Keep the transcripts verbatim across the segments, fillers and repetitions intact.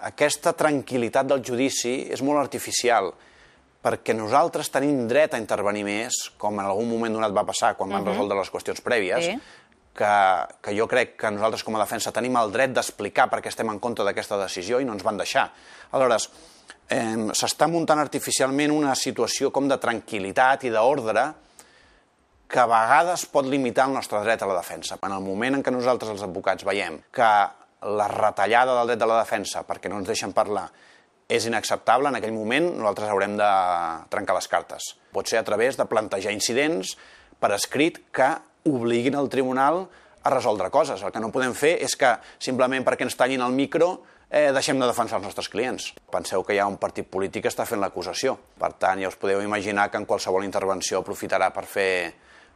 aquesta tranquil·litat del judici és molt artificial, perquè nosaltres tenim dret a intervenir més, com en algun moment donat va passar quan van resoldre les qüestions prèvies, que jo crec que nosaltres com a defensa tenim el dret d'explicar per què estem en contra d'aquesta decisió i no ens van deixar. Aleshores, s'està muntant artificialment una situació com de tranquil·litat i d'ordre que a vegades pot limitar el nostre dret a la defensa. En el moment en què nosaltres, els advocats, veiem que la retallada del dret de la defensa, perquè no ens deixen parlar, és inacceptable, en aquell moment nosaltres haurem de trencar les cartes. Pot ser a través de plantejar incidents per escrit que obliguin el tribunal a resoldre coses. El que no podem fer és que, simplement perquè ens tallin el micro, eh, deixem de defensar els nostres clients. Penseu que hi ha un partit polític que està fent l'acusació. Per tant, ja us podeu imaginar que en qualsevol intervenció aprofitarà per fer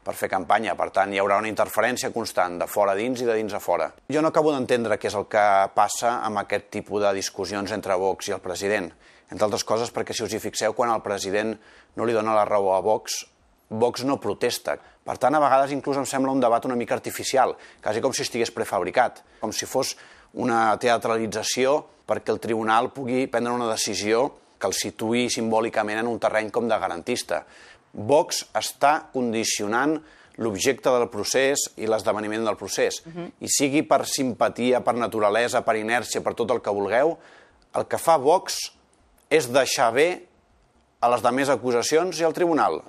per fer campanya. Per tant, hi haurà una interferència constant de fora a dins i de dins a fora. Jo no acabo d'entendre què és el que passa amb aquest tipus de discussions entre Vox i el president. Entre altres coses perquè, si us hi fixeu, quan el president no li dona la raó a Vox, Vox no protesta. Per tant, a vegades inclús em sembla un debat una mica artificial, quasi com si estigués prefabricat, com si fos una teatralització perquè el tribunal pugui prendre una decisió que el situï simbòlicament en un terreny com de garantista. Vox està condicionant l'objecte del procés i l'esdeveniment del procés. I sigui per simpatia, per naturalesa, per inèrcia, per tot el que vulgueu, el que fa Vox és deixar bé a les demés acusacions i al tribunal.